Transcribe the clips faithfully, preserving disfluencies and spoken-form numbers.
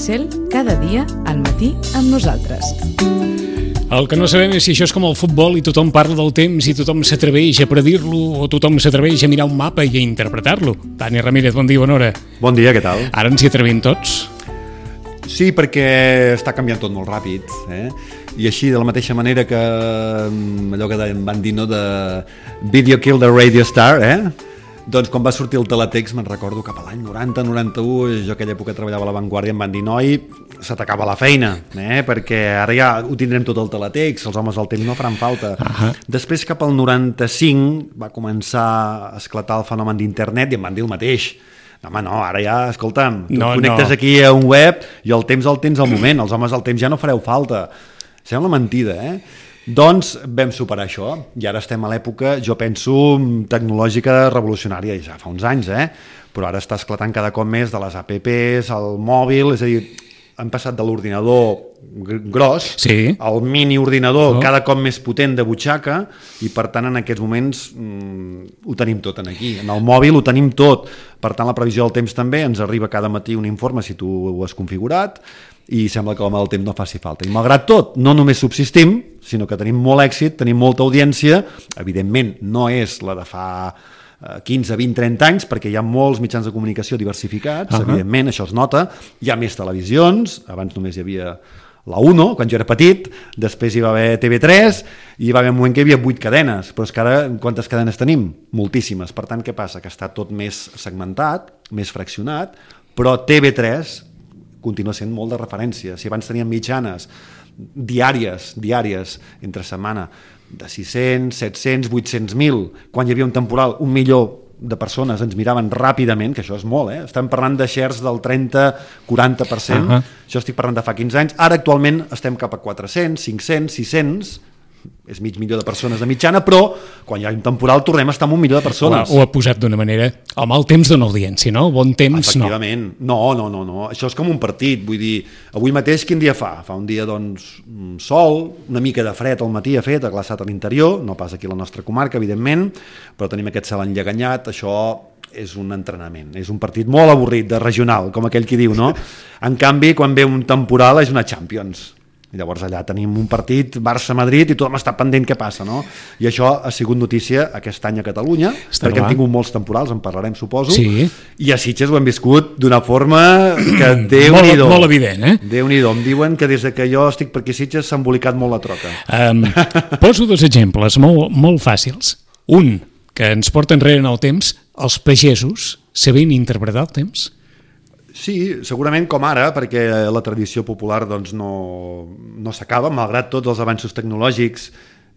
Cel cada dia al matí amb nosaltres. El que no sabem és si això és com el futbol i tothom parla del temps i tothom s'atreveix a predir-lo o tothom s'atreveix a mirar un mapa i a interpretar-lo. Dani Ramírez, bon dia, bona hora. Bon dia, què tal? Ara ens hi atrevim tots? Sí, perquè està canviant tot molt ràpid, eh? I així, de la mateixa manera que allò que van dir, no?, de Video Kill the Radio Star, eh? Doncs quan va sortir el teletext, me'n recordo cap a l'any noranta noranta-u, jo aquella època treballava a La Vanguardia, em van dir, noi, se t'acaba la feina, eh? Perquè ara ja ho tindrem tot el teletext, els homes del temps no faran falta. Uh-huh. Després, cap al noranta-cinc, va començar a esclatar el fenomen d'internet i em van dir el mateix. No, home, no, ara ja, escolta'm, tu no, connectes no. aquí a un web i el temps el tens al moment, els homes del temps ja no fareu falta. Sembla mentida, eh? Doncs vam superar això i ara estem a l'època, jo penso, tecnològica revolucionària, ja fa uns anys, eh? Però ara està esclatant cada cop més de les apps, el mòbil, és a dir, han passat de l'ordinador gros sí. al mini-ordinador oh. cada cop més potent de butxaca i per tant en aquests moments mm, ho tenim tot en aquí, en el mòbil ho tenim tot, per tant la previsió del temps també, ens arriba cada matí un informe si tu ho has configurat i sembla que l'home del temps no faci falta. I malgrat tot, no només subsistim, sinó que tenim molt èxit, tenim molta audiència, evidentment no és la de fa quinze, vint, trenta anys, perquè hi ha molts mitjans de comunicació diversificats, uh-huh. evidentment, això es nota, hi ha més televisions, abans només hi havia la Uno, quan jo era petit, després hi va haver T V tres, i hi va haver un moment que hi havia vuit cadenes, però és que ara quantes cadenes tenim? Moltíssimes. Per tant, què passa? Que està tot més segmentat, més fraccionat, però T V tres continua sent molt de referència. Si abans teníem mitjanes diàries, diàries, entre setmana, de sis-cents, set-cents, vuit-cents mil, quan hi havia un temporal, un milió de persones ens miraven ràpidament, que això és molt, eh? Estem parlant de shares del trenta a quaranta per cent, uh-huh. això estic parlant de fa quinze anys, ara actualment estem cap a quatre-cents, cinc-cents, sis-cents, és mig milió de persones de mitjana, però quan hi ha un temporal tornem a estar amb un milió de persones. Ho ha posat d'una manera, el mal temps dona audiència, no? El bon temps Efectivament. no. No, no, no, no. Això és com un partit, vull dir, avui mateix quin dia fa? Fa un dia, doncs, sol, una mica de fred al matí ha fet, ha glaçat a l'interior, no pas aquí a la nostra comarca, evidentment, però tenim aquest cel enlleganyat, això és un entrenament, és un partit molt avorrit, de regional, com aquell qui diu, no? En canvi, quan ve un temporal és una Champions. I llavors allà tenim un partit Barça-Madrid i tothom està pendent què passa, no? I això ha sigut notícia aquest any a Catalunya, està perquè clar. Hem tingut molts temporals, en parlarem, suposo, sí. i a Sitges ho hem viscut d'una forma que Déu-n'hi-do. Molt, molt evident, eh? Déu-n'hi-do. Em diuen que des que jo estic per aquí a Sitges s'ha embolicat molt la troca. Um, poso dos exemples molt, molt fàcils. Un, que ens porta enrere en el temps, els pagesos sabent interpretar el temps. Sí, segurament com ara, perquè la tradició popular doncs, no, no s'acaba, malgrat tots els avanços tecnològics,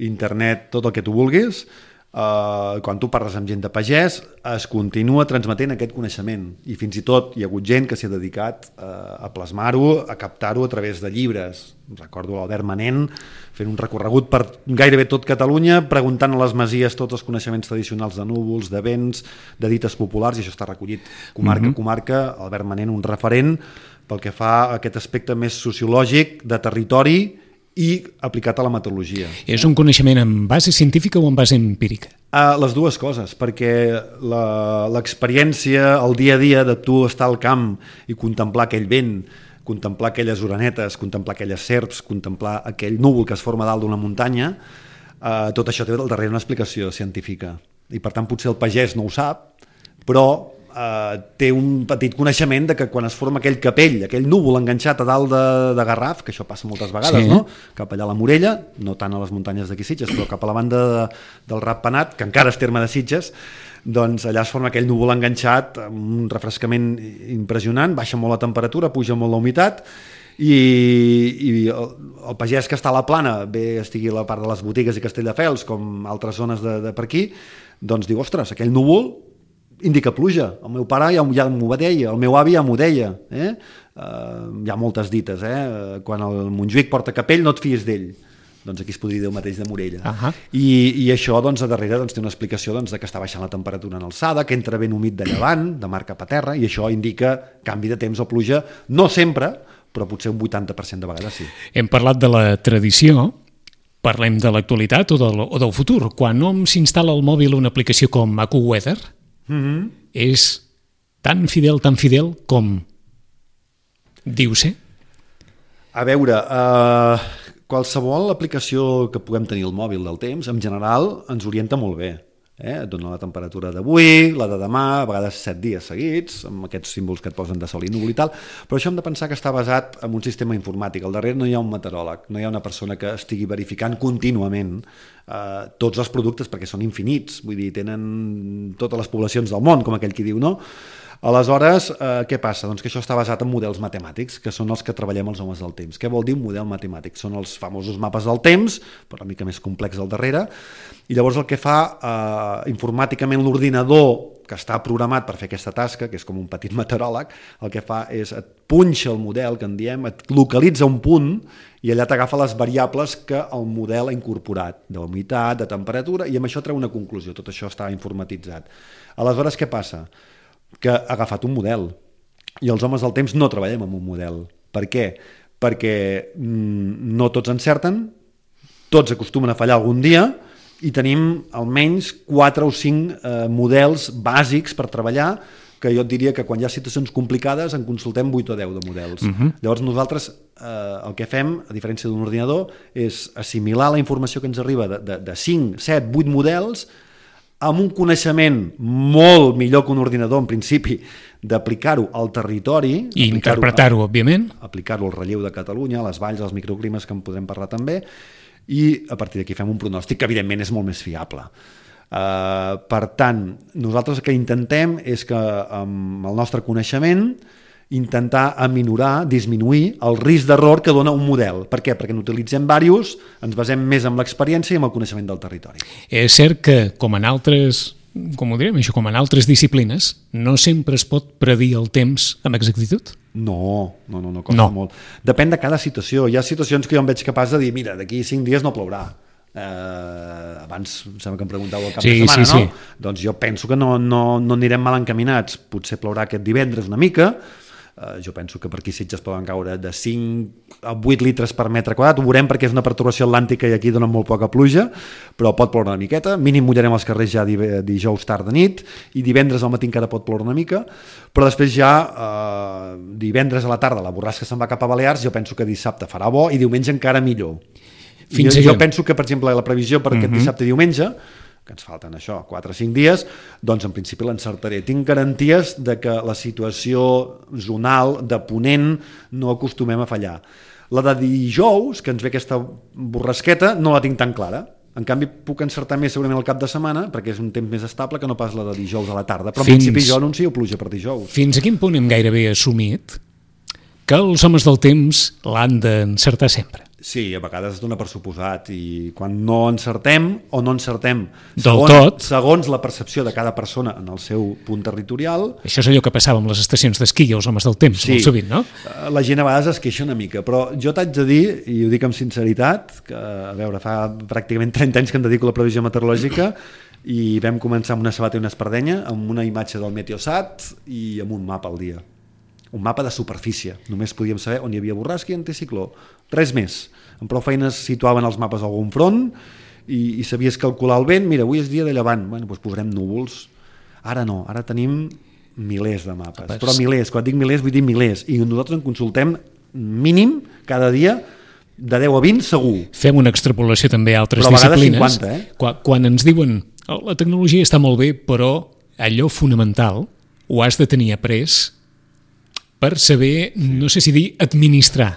internet, tot el que tu vulguis, eh, quan tu parles amb gent de pagès, es continua transmetent aquest coneixement. I fins i tot hi ha hagut gent que s'ha dedicat eh, a plasmar-ho, a captar-ho a través de llibres. Recordo l'Albert Manent fent un recorregut per gairebé tot Catalunya, preguntant a les masies tots els coneixements tradicionals de núvols, de vents, de dites populars, i això està recollit comarca a mm-hmm. comarca. Albert Manent, un referent pel que fa a aquest aspecte més sociològic, de territori i aplicat a la meteorologia. És un coneixement en base científica o en base empírica? Uh, les dues coses, perquè l'experiència, el dia a dia de tu estar al camp i contemplar aquell vent, contemplar aquelles orenetes, contemplar aquelles serps, contemplar aquell núvol que es forma dalt d'una muntanya, eh, tot això té al darrere una explicació científica. I per tant potser el pagès no ho sap, però eh, té un petit coneixement de que quan es forma aquell capell, aquell núvol enganxat a dalt de, de Garraf, que això passa moltes vegades, sí. no? Cap allà a la Morella, no tant a les muntanyes d'aquí Sitges, però cap a la banda de, del Ratpenat, que encara és terme de Sitges, doncs allà es forma aquell núvol enganxat amb un refrescament impressionant, baixa molt la temperatura, puja molt la humitat i, i el, el pagès que està a la plana, bé estigui a la part de les botigues i Castelldefels com altres zones de, de per aquí, doncs diu, ostres, aquell núvol indica pluja, el meu pare ja, ja m'ho deia, el meu avi ja m'ho deia, eh? Uh, hi ha moltes dites, eh? Quan el Montjuïc porta capell no et fies d'ell. Doncs aquí es podria dir el mateix de Morella. Uh-huh. I, i això doncs, a darrere doncs, té una explicació doncs, de que està baixant la temperatura en alçada, que entra vent humit de llevant, de mar cap a terra, i això indica canvi de temps o pluja, no sempre, però potser un vuitanta per cent de vegades sí. Hem parlat de la tradició, parlem de l'actualitat o del, o del futur. Quan hom s'instal·la al mòbil una aplicació com AccuWeather, mm-hmm. és tan fidel, tan fidel com Diu ser? A veure, eh, qualsevol aplicació que puguem tenir al mòbil del temps, en general, ens orienta molt bé. Eh? Et dona la temperatura d'avui, la de demà, a vegades set dies seguits, amb aquests símbols que et posen de sol i núvol i tal, però això hem de pensar que està basat en un sistema informàtic. Al darrere no hi ha un meteoròleg, no hi ha una persona que estigui verificant contínuament eh, tots els productes, perquè són infinits, vull dir, tenen totes les poblacions del món, com aquell qui diu, no? Aleshores, eh, què passa? Doncs que això està basat en models matemàtics, que són els que treballem els homes del temps. Què vol dir un model matemàtic? Són els famosos mapes del temps, però una mica més complex al darrere, i llavors el que fa eh, informàticament l'ordinador que està programat per fer aquesta tasca, que és com un petit meteoròleg, el que fa és et punxa el model, que en diem, et localitza un punt i allà t'agafa les variables que el model ha incorporat, de humitat, de temperatura, i amb això treu una conclusió. Tot això està informatitzat. Aleshores, què passa? Que ha agafat un model i els homes del temps no treballem amb un model. Per què? Perquè mm, no tots encerten, tots acostumen a fallar algun dia i tenim almenys quatre o cinc eh, models bàsics per treballar, que jo et diria que quan hi ha situacions complicades en consultem vuit o deu de models. Uh-huh. Llavors nosaltres eh, el que fem, a diferència d'un ordinador, és assimilar la informació que ens arriba de, de, de cinc, set, vuit models amb un coneixement molt millor que un ordinador, en principi, d'aplicar-ho al territori... I interpretar-ho, òbviament. Aplicar-ho al relleu de Catalunya, a les valls, als microclimes, que en podrem parlar també, i a partir d'aquí fem un pronòstic que, evidentment, és molt més fiable. Uh, per tant, nosaltres el que intentem és que, amb el nostre coneixement, intentar aminorar, disminuir el risc d'error que dona un model. Per què? Perquè n'utilitzem diversos, ens basem més en l'experiència i en el coneixement del territori. És cert que, com en altres, com ho direm, això, com en altres disciplines, no sempre es pot predir el temps amb exactitud? No, no, no, no costa no. molt. Depèn de cada situació. Hi ha situacions que jo em veig capaç de dir, mira, d'aquí cinc dies no plourà. Eh, abans em sembla que em preguntàveu el cap sí, de setmana, sí, no? Sí. Doncs jo penso que no, no, no anirem mal encaminats. Potser plourà aquest divendres una mica. Uh, jo penso que per aquí Sitges poden caure de cinc a vuit litres per metre quadrat, ho veurem perquè és una perturbació atlàntica i aquí donen molt poca pluja, però pot ploure una miqueta, mínim mullarem els carrers ja dijous tard de nit i divendres al matí encara pot ploure una mica, però després ja uh, divendres a la tarda la borrasca se'n va cap a Balears, jo penso que dissabte farà bo i diumenge encara millor. Fins jo, jo penso que, per exemple, la previsió per uh-huh. aquest dissabte i diumenge, que ens falten això, quatre o cinc dies, doncs en principi l'encertaré. Tinc garanties de que la situació zonal de ponent no acostumem a fallar. La de dijous, que ens ve aquesta borrasqueta, no la tinc tan clara. En canvi, puc encertar més segurament el cap de setmana, perquè és un temps més estable que no pas la de dijous a la tarda. Però en fins, principi jo anuncio pluja per dijous. Fins a quin punt hem gairebé assumit que els homes del temps l'han d'encertar sempre? Sí, a vegades es dona per suposat i quan no encertem o no encertem segons, del tot, segons la percepció de cada persona en el seu punt territorial... Això és allò que passava amb les estacions d'esquí i els homes del temps, sí, molt sovint, no? La gent a vegades es queixa una mica, però jo t'haig de dir, i ho dic amb sinceritat, que a veure, fa pràcticament trenta anys que em dedico a la previsió meteorològica i vam començar amb una sabata i una espardenya, amb una imatge del Meteosat i amb un mapa al dia. Un mapa de superfície. Només podíem saber on hi havia borrasca i anticicló. Res més. Amb prou feines situaven els mapes a algun front i, i sabies calcular el vent. Mira, avui és dia de llevant. Bueno, doncs posarem núvols. Ara no, ara tenim milers de mapes. Apes. Però milers, quan dic milers vull dir milers. I nosaltres en consultem mínim cada dia de deu a vint segur. Fem una extrapolació també a altres però a disciplines. cinquanta, eh? Quan, quan ens diuen oh, la tecnologia està molt bé, però allò fonamental ho has de tenir après per saber, no sé si dir, administrar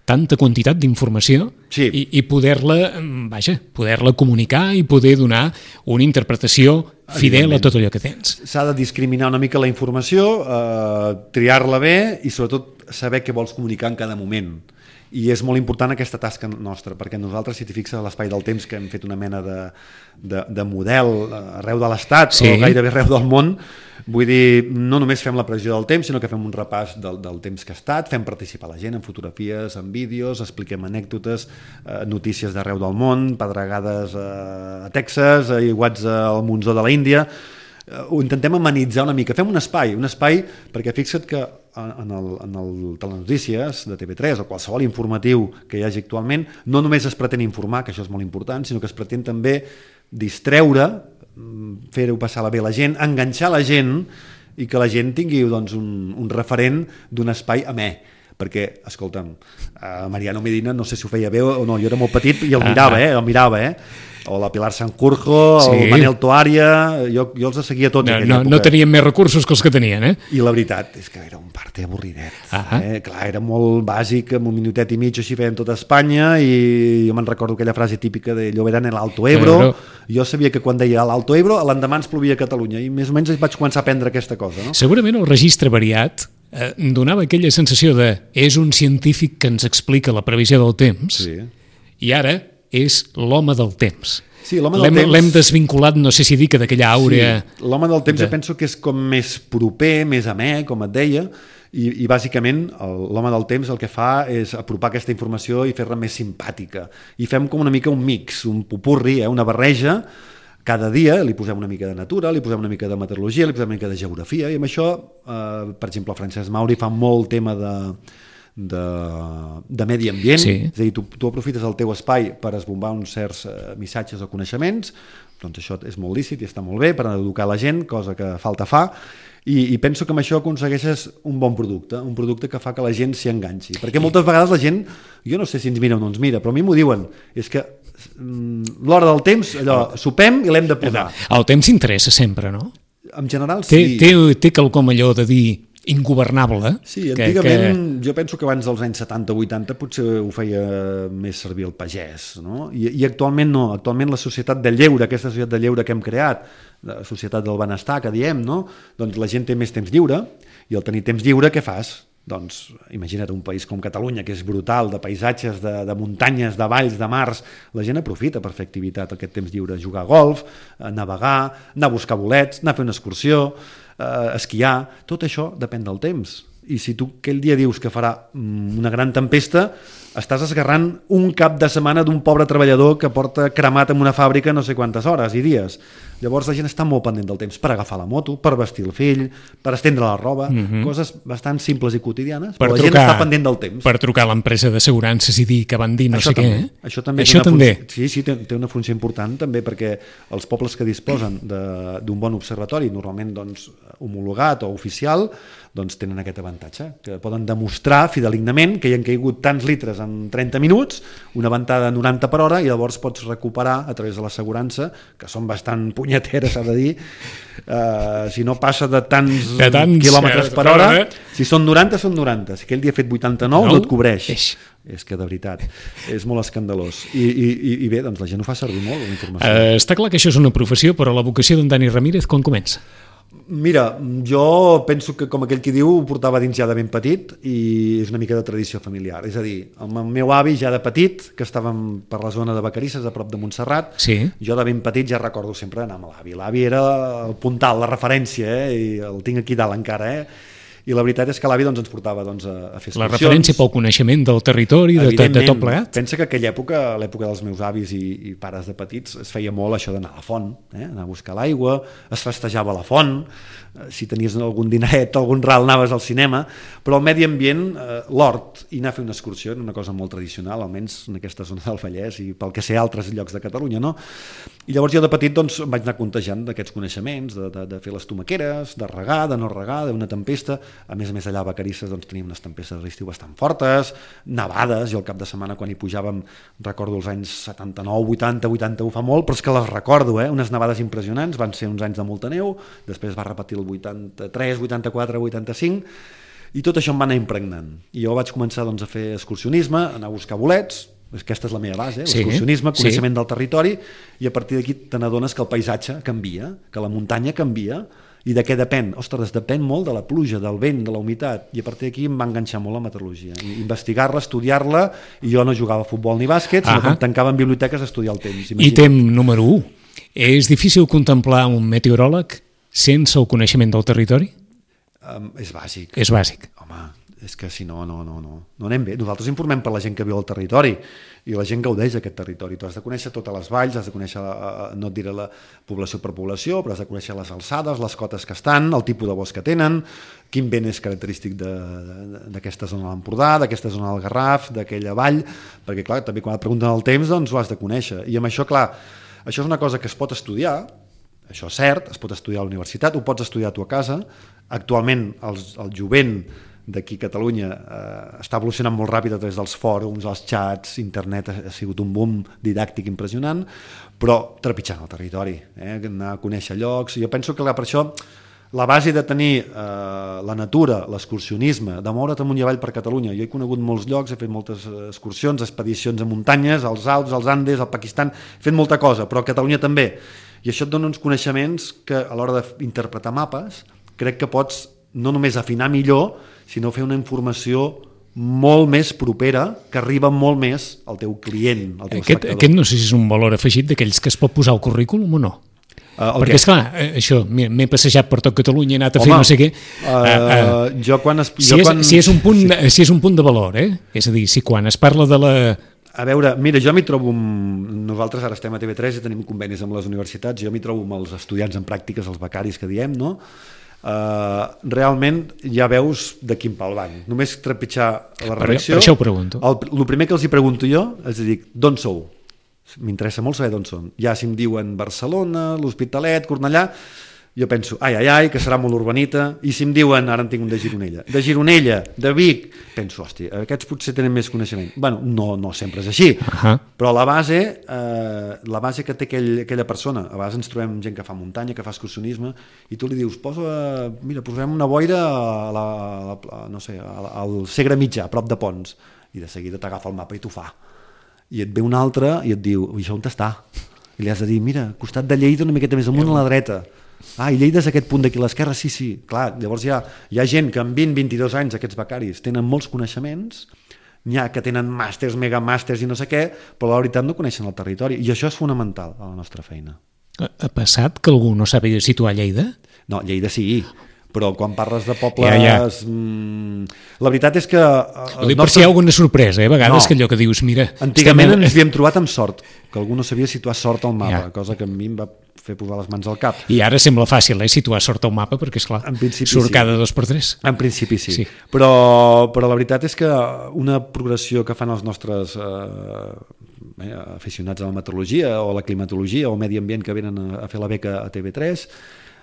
tanta quantitat d'informació sí. i, i poder-la, vaja, poder-la comunicar i poder donar una interpretació fidel a tot allò que tens. S'ha de discriminar una mica la informació, eh, triar-la bé i sobretot saber què vols comunicar en cada moment. I és molt important aquesta tasca nostra, perquè nosaltres, si t'hi fixes a l'Espai del Temps, que hem fet una mena de, de, de model arreu de l'Estat sí. o gairebé arreu del món, vull dir, no només fem la previsió del temps, sinó que fem un repàs del, del temps que ha estat, fem participar la gent en fotografies, en vídeos, expliquem anècdotes, eh, notícies d'arreu del món, pedregades eh, a Texas, aiguats al Monzó de la Índia. Ho intentem amenitzar una mica. Fem un espai, un espai perquè fixa't que en el, en el Telenotícies de T V tres o qualsevol informatiu que hi hagi actualment no només es pretén informar, que això és molt important, sinó que es pretén també distreure, fer-ho passar bé a la gent, enganxar la gent i que la gent tingui doncs, un, un referent d'un espai amè. perquè, escolta'm, uh, Mariano Medina no sé si ho feia bé o no, jo era molt petit i el mirava, eh, el mirava, eh? O la Pilar Sanjurjo, sí. El Manel Toària, jo, jo els seguia tots. No, no, no tenien més recursos que els que tenien, eh? I la veritat és que era un parte avorridet. Eh? Clar, era molt bàsic, amb un minutet i mig així feien tota Espanya, i jo me'n recordo aquella frase típica de Llobera en l'Alto Ebro. Però... Jo sabia que quan deia l'Alto Ebro, l'endemà ens plovia a Catalunya, i més o menys vaig començar a aprendre aquesta cosa. No? Segurament el registre variat eh, donava aquella sensació de és un científic que ens explica la previsió del temps, sí. I ara és l'home del temps. Sí, l'home del temps... L'hem desvinculat, no sé si dir que d'aquella àurea... Sí, l'home del temps de... jo penso que és com més proper, més amè, com et deia, i, i bàsicament l'home del temps el que fa és apropar aquesta informació i fer-la més simpàtica. I fem com una mica un mix, un popurri, eh, una barreja. Cada dia li posem una mica de natura, li posem una mica de meteorologia, li posem una mica de geografia, i amb això, eh, per exemple, el Francesc Mauri fa molt tema de... De, de medi ambient, sí. És a dir, tu, tu aprofites el teu espai per esbombar uns certs eh, missatges o coneixements, doncs això és molt lícit i està molt bé per educar la gent, cosa que falta fa, i, i penso que amb això aconsegueixes un bon producte, un producte que fa que la gent s'hi enganxi, perquè moltes vegades la gent, jo no sé si ens mira o no ens mira, però a mi m'ho diuen, és que mm, l'hora del temps, allò, sopem i l'hem de posar. El temps interessa sempre, no? En general sí. Té, té, té quelcom allò de dir ingovernable. Sí, antigament, que, que... jo penso que abans dels anys setanta o vuitanta potser ho feia més servir el pagès, no? I, i actualment no, actualment la societat de lleure, aquesta societat de lleure que hem creat, la societat del benestar que diem, no? Doncs la gent té més temps lliure, i al tenir temps lliure què fas? Doncs imagina't un país com Catalunya, que és brutal, de paisatges, de, de muntanyes, de valls, de mars, la gent aprofita per fer activitat aquest temps lliure, jugar a golf, a navegar, anar a buscar bolets, anar a fer una excursió, eh, esquiar, tot això depèn del temps. I si tu aquell dia dius que farà una gran tempesta, estàs esgarrant un cap de setmana d'un pobre treballador que porta cremat en una fàbrica no sé quantes hores i dies. Llavors la gent està molt pendent del temps per agafar la moto, per vestir el fill, per estendre la roba, mm-hmm. coses bastant simples i quotidianes, per però la trucar, gent està pendent del temps. Per trucar a l'empresa d'assegurances i dir que van dir no això sé també, què. Eh? Això també, això també. Funció, sí, sí, té, té una funció important també perquè els pobles que disposen d'un bon observatori, normalment doncs, homologat o oficial, doncs tenen aquest avantatge, que poden demostrar fidelignament que hi han caigut tants litres en trenta minuts, una ventada de noranta per hora, i llavors pots recuperar a través de l'assegurança, que són bastant punyeteres, s'ha de dir, uh, si no passa de tants, de tants quilòmetres per hora, si són noranta, són noranta, si aquell dia ha fet vuitanta-nou no, no et cobreix. Eix. És que de veritat, és molt escandalós. I, i, i bé, doncs la gent ho fa servir molt, la informació. Uh, està clar que això és una professió, però la vocació d'en Dani Ramírez quan comença? Mira, jo penso que com aquell qui diu ho portava dins ja de ben petit i és una mica de tradició familiar, és a dir, el meu avi ja de petit, que estàvem per la zona de Vacarisses a prop de Montserrat, sí. Jo de ben petit ja recordo sempre anar amb l'avi, l'avi era el puntal, la referència, eh? I el tinc aquí dalt encara, eh? I la veritat és que l'avi doncs, ens portava doncs, a fer excursions. La referència pel coneixement del territori, de, de tot plegat. Pensa que aquella època, l'època dels meus avis i, i pares de petits, es feia molt això d'anar a la font, eh? Anar a buscar l'aigua, es festejava a la font, si tenies algun dineret, algun ral, anaves al cinema, però el medi ambient, eh, l'hort, i anar a fer una excursió era una cosa molt tradicional, almenys en aquesta zona del Vallès i pel que sé altres llocs de Catalunya, no? I llavors jo de petit doncs, em vaig anar contejant d'aquests coneixements, de, de, de fer les tomaqueres, de regar, de no regar, d'una tempesta. A més a més allà a Vacarisses doncs, teníem unes tempestes de l'estiu bastant fortes, nevades, i al cap de setmana quan hi pujàvem, recordo els anys setanta-nou, vuitanta, vuitanta-u, fa molt, però és que les recordo, eh? Unes nevades impressionants, van ser uns anys de molta neu, després va repetir el vuitanta-tres, vuitanta-quatre, vuitanta-cinc, i tot això em va anar impregnant. I jo vaig començar doncs, a fer excursionisme, anar a buscar bolets, aquesta és la meva base, sí, l'excursionisme, coneixement sí. del territori, i a partir d'aquí te n'adones que el paisatge canvia, que la muntanya canvia, i de què depèn? Ostres, depèn molt de la pluja, del vent, de la humitat, i a partir d'aquí em va enganxar molt la meteorologia, investigar-la, estudiar-la, i jo no jugava a futbol ni bàsquet, sinó que em tancava en biblioteques a estudiar el temps. Imagina. I tem número u, és difícil contemplar un meteoròleg sense el coneixement del territori? Um, és bàsic. És bàsic. Home, és que si no, no, no, no, no anem bé. Nosaltres informem per la gent que viu al territori i la gent gaudeix d'aquest territori. Tu has de conèixer totes les valls, has de conèixer, no et diré la població per població, però has de conèixer les alçades, les cotes que estan, el tipus de bosc que tenen, quin vent és característic d'aquesta zona de l'Empordà, d'aquesta zona del Garraf, d'aquella vall, perquè clar, també quan et pregunten el temps doncs ho has de conèixer. I amb això, clar, això és una cosa que es pot estudiar, això és cert, es pot estudiar a la universitat, ho pots estudiar tu a casa. Actualment els, el jovent d'aquí a Catalunya eh, està evolucionant molt ràpid a través dels fòrums, els xats, internet ha, ha sigut un boom didàctic impressionant, però trepitjant el territori, eh? Anar a conèixer llocs. Jo penso que per això la base de tenir eh, la natura, l'excursionisme, de moure't amunt i avall per Catalunya. Jo he conegut molts llocs, he fet moltes excursions, expedicions a muntanyes, als Alps, als Andes, al Pakistan, he fet molta cosa, però a Catalunya també. I això et dona uns coneixements que a l'hora d'interpretar mapes crec que pots no només afinar millor, sinó fer una informació molt més propera, que arriba molt més al teu client, al teu aquest, espectador. Aquest no sé si és un valor afegit d'aquells que es pot posar al currículum o no. Uh, Perquè, esclar, això, m'he passejat per tot Catalunya, he anat a Home, fer no sé què. Uh, uh, uh, jo quan... Es, si, jo és, quan... si, és un punt, sí. si és un punt de valor, eh? És a dir, si quan es parla de la... A veure, mira, jo m'hi trobo... Amb... Nosaltres ara estem a T V tres i tenim convenis amb les universitats, jo m'hi trobo amb els estudiants en pràctiques, els becaris que diem, no? Uh, realment ja veus de quin pal van. Només trepitjar la redacció... Per, per això ho pregunto. El, el primer que els hi pregunto jo és dir, d'on sou? M'interessa molt saber d'on són. Ja si em diuen Barcelona, l'Hospitalet, Cornellà, jo penso, ai, ai, ai, que serà molt urbanita, i si em diuen, ara en tinc un de Gironella, de Gironella, de Vic, penso, hòstia, aquests potser tenen més coneixement. Bueno, no, no sempre és així, uh-huh. Però la base, eh, la base que té aquell, aquella persona, a vegades ens trobem gent que fa muntanya, que fa excursionisme, i tu li dius, posa, mira, posem una boira a la, a la, no sé, al Segre Mitjà, a prop de Ponts, i de seguida t'agafa el mapa i t'ho fa. I et ve un altre i et diu, això on està? I li has de dir, mira, costat de Lleida una miqueta més amunt a la dreta. Ah, i Lleida és aquest punt d'aquí a l'esquerra? Sí, sí. Clar, llavors hi ha, hi ha gent que amb vint a vint-i-dos anys, aquests becaris, tenen molts coneixements, n'hi ha que tenen màsters, megamàsters i no sé què, però la veritat no coneixen el territori. I això és fonamental a la nostra feina. Ha passat que algú no sàpiga situar Lleida? No, Lleida sí, però quan parles de pobles... Ja, ja. Mmm, la veritat és que... Ho dic nostres... per si hi ha alguna sorpresa, eh? A vegades no. Que allò que dius, mira... Antigament estem... ens havíem trobat amb sort, que algú no sabia situar Sort al mapa, ja. Cosa que a mi em va fer posar les mans al cap. I ara sembla fàcil, eh, situar Sort al mapa, perquè, esclar, surt sí. Cada dos per tres. En principi sí, sí. Però, però la veritat és que una progressió que fan els nostres eh, eh, aficionats a la meteorologia o a la climatologia o al medi ambient que venen a, a fer la beca a T V tres...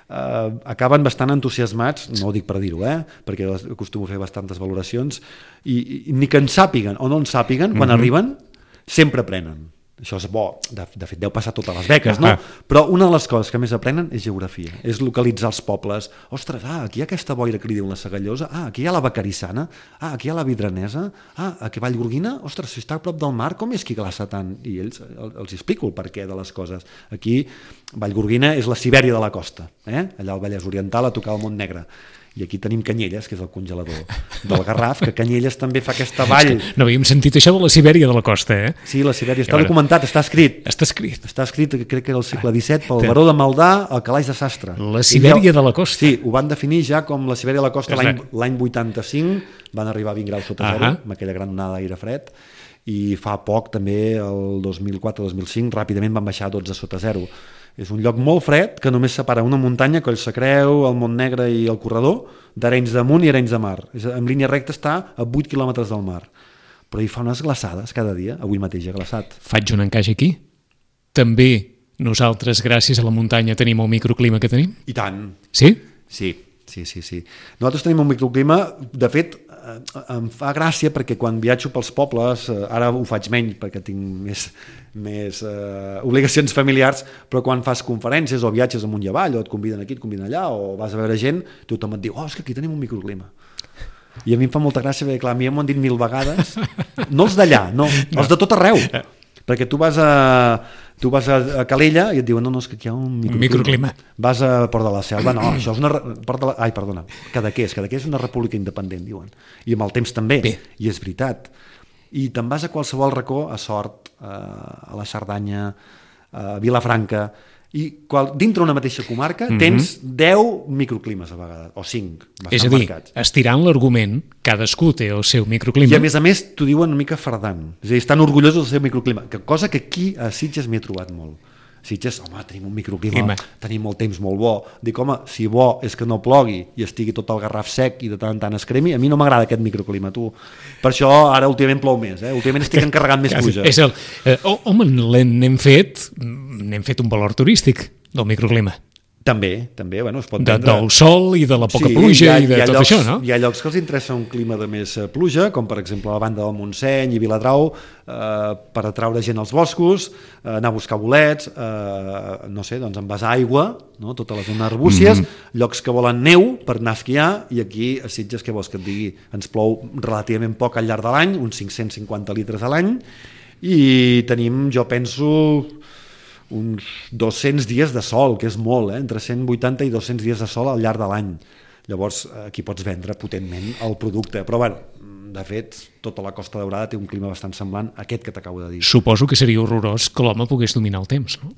Uh, acaben bastant entusiasmats, no ho dic per dir-ho, eh? Perquè acostumo a fer bastantes valoracions, i, i ni que en sàpiguen o no en sàpiguen, quan mm-hmm. arriben, sempre aprenen. Això és bo, de, de fet deu passar totes les beques, no? Ah. Però una de les coses que més aprenen és geografia, és localitzar els pobles. Ostres, ah, aquí hi ha aquesta boira que li diuen la Segallosa, ah, aquí hi ha la Vacarissana, ah, aquí hi ha la Vidranesa, ah, aquí a Vallgorguina, ostres, si està a prop del mar, com és que glaça tant? I ells, els explico el perquè de les coses. Aquí, Vallgorguina és la Sibèria de la costa, eh? Allà al Vallès Oriental a tocar el Montnegre. I aquí tenim Canyelles, que és el congelador del Garraf, que Canyelles també fa aquesta vall. No havíem sentit això de la Sibèria de la costa, eh? Sí, la Sibèria està documentat, està escrit. Està escrit. Està escrit, crec que era el segle disset, pel baró de Maldà, al Calaix de Sastre. La Sibèria de la costa. Sí, ho van definir ja com la Sibèria de la costa l'any vuitanta-cinc, van arribar a vint graus sota zero, amb aquella gran onada d'aire fred, i fa poc, també, el dos mil quatre dos mil cinc, ràpidament van baixar a dotze sota zero. És un lloc molt fred que només separa una muntanya, Coll Sacreu, el Montnegre i el Corredor, d'Arenys de Munt i Arenys de Mar. En línia recta està a vuit quilòmetres del mar. Però hi fa unes glaçades cada dia, avui mateix ha glaçat. Faig un encaix aquí. També nosaltres, gràcies a la muntanya, tenim el microclima que tenim? I tant. Sí? Sí, sí, sí. sí. Nosaltres tenim un microclima, de fet, em fa gràcia perquè quan viatjo pels pobles, ara ho faig menys perquè tinc més, més eh, obligacions familiars, però quan fas conferències o viatges amunt i avall o et conviden aquí, et conviden allà o vas a veure gent, tothom et diu, oh, és que aquí tenim un microclima. I a mi em fa molta gràcia perquè, clar, a mi m'ho han dit mil vegades, no els d'allà, no, els de tot arreu, perquè tu vas a, tu vas a Calella i et diuen, no, no, és que aquí hi ha un microclima. microclima. Vas a Port de la Selva, no, això és una... Port de la, ai, perdona, Cadaqués, Cadaqués és una república independent, diuen. I amb el temps també, Bé. I és veritat. I te'n vas a qualsevol racó, a Sort, a la Cerdanya, a Vilafranca, i qual, dintre una mateixa comarca mm-hmm. tens deu microclimes a vegades, o cinc, bastant és a dir, marcats. Estirant l'argument, cadascú té el seu microclima. I a més a més t'ho diuen una mica fardant, és a dir, estan orgullosos del seu microclima, que cosa que aquí a Sitges m'hi he trobat molt. Sitges, home, tenim un microclima, Clima. Tenim molt temps molt bo. Dic, home, si bo és que no plogui i estigui tot el Garraf sec i de tant en tant es cremi, a mi no m'agrada aquest microclima, tu. Per això ara últimament plou més, eh? Últimament estic encarregant més pluja. És el, eh, home, n'hem fet, n'hem fet un valor turístic del microclima. També, també, bueno, es pot de, vendre... del sol i de la poca sí, pluja ha, i de tot llocs, això, no? Hi ha llocs que els interessa un clima de més pluja, com per exemple la banda del Montseny i Viladrau, eh, per atraure gent als boscos, eh, anar a buscar bolets, eh, no sé, doncs envasar aigua, no? Tota la zona arbúcies, mm-hmm. llocs que volen neu per anar a esquiar, i aquí a Sitges, què vols que et digui? Ens plou relativament poc al llarg de l'any, uns cinc-cents cinquanta litres a l'any, i tenim, jo penso... uns dos-cents dies de sol, que és molt, eh? Entre cent vuitanta i dos-cents dies de sol al llarg de l'any. Llavors, aquí pots vendre potentment el producte. Però, bueno, de fet, tota la Costa Daurada té un clima bastant semblant a aquest que t'acabo de dir. Suposo que seria horrorós que l'home pogués dominar el temps, no?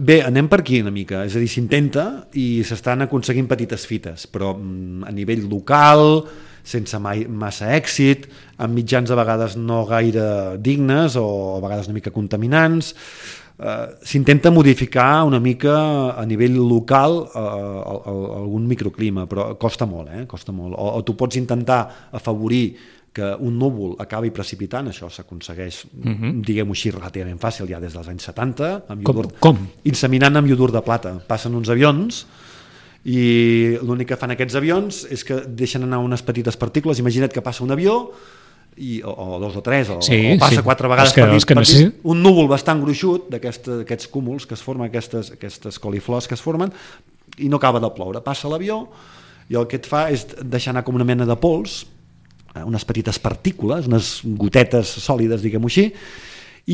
Bé, anem per aquí una mica. És a dir, s'intenta i s'estan aconseguint petites fites, però a nivell local, sense mai, massa èxit, amb mitjans a vegades no gaire dignes o a vegades una mica contaminants. Uh, s'intenta modificar una mica a nivell local uh, algun microclima, però costa molt, eh? Costa molt. O, o tu pots intentar afavorir que un núvol acabi precipitant, això s'aconsegueix, uh-huh. diguem-ho així, relativament fàcil ja des dels anys setanta, amb iodur, com? com? Inseminant amb iodur de plata. Passen uns avions i l'únic que fan aquests avions és que deixen anar unes petites partícules. Imagina't que passa un avió I, o, o dos o tres, o, sí, o passa sí. quatre vegades que, per nit, per nit un núvol bastant gruixut d'aquests cúmuls que es formen, aquestes, aquestes coliflors que es formen, i no acaba de ploure. Passa l'avió i el que et fa és deixar anar com una mena de pols, unes petites partícules, unes gotetes sòlides, diguem-ho així,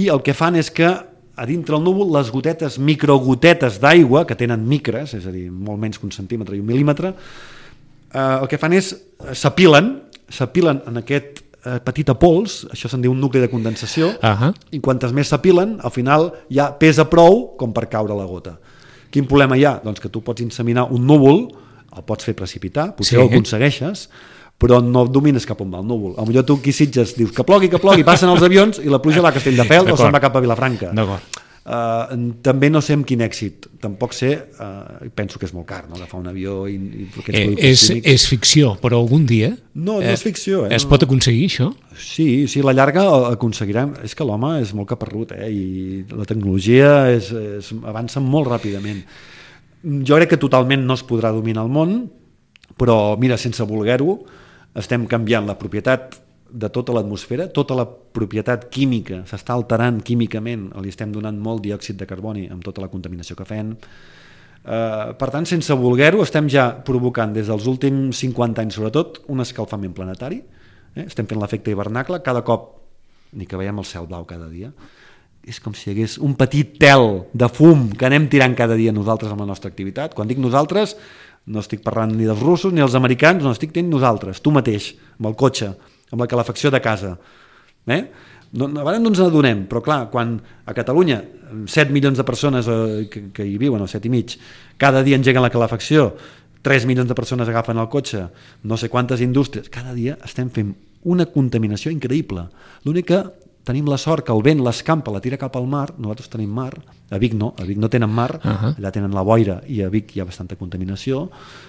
i el que fan és que a dintre el núvol les gotetes, microgotetes d'aigua, que tenen micres, és a dir, molt menys que un centímetre i un mil·límetre, eh, el que fan és s'apilen, s'apilen en aquest petita pols, això se'n diu un nucli de condensació, uh-huh. i quantes més s'apilen, al final ja pesa prou com per caure la gota. Quin problema hi ha? Doncs que tu pots inseminar un núvol, el pots fer precipitar, potser sí. ho aconsegueixes, però no domines cap on va el núvol. A millor tu aquí Sitges dius que plogui, que plogui, passen els avions i la pluja va a Castelldefels o se'n va cap a Vilafranca. D'acord. Uh, també no sé amb quin èxit, tampoc sé, uh, penso que és molt car, no? Agafar un avió i, i eh, és, és ficció, però algun dia no, no és ficció, eh? es no, pot aconseguir això? Sí, sí, a la llarga aconseguirem. És que l'home és molt caparrut, eh? I la tecnologia és, és, avança molt ràpidament. Jo crec que totalment no es podrà dominar el món, però mira, sense voler-ho, estem canviant la propietat de tota l'atmosfera, tota la propietat química s'està alterant químicament, li estem donant molt diòxid de carboni amb tota la contaminació que fem. Uh, per tant, sense voler-ho, estem ja provocant des dels últims cinquanta anys sobretot un escalfament planetari, eh? Estem fent l'efecte hivernacle, cada cop ni que veiem el cel blau cada dia, és com si hi hagués un petit tel de fum que anem tirant cada dia nosaltres amb la nostra activitat. Quan dic nosaltres, no estic parlant ni dels russos ni dels americans, no, estic dient nosaltres, tu mateix, amb el cotxe, amb la calefacció de casa. Eh? No, a vegades no ens n'adonem, però clar, quan a Catalunya set milions de persones eh, que, que hi viuen, o set i mig, cada dia engeguen la calefacció, tres milions de persones agafen el cotxe, no sé quantes indústries, cada dia estem fent una contaminació increïble. L'únic que tenim la sort que el vent l'escampa, la tira cap al mar, nosaltres tenim mar, a Vic no, a Vic no tenen mar, uh-huh. allà tenen la boira i a Vic hi ha bastanta contaminació,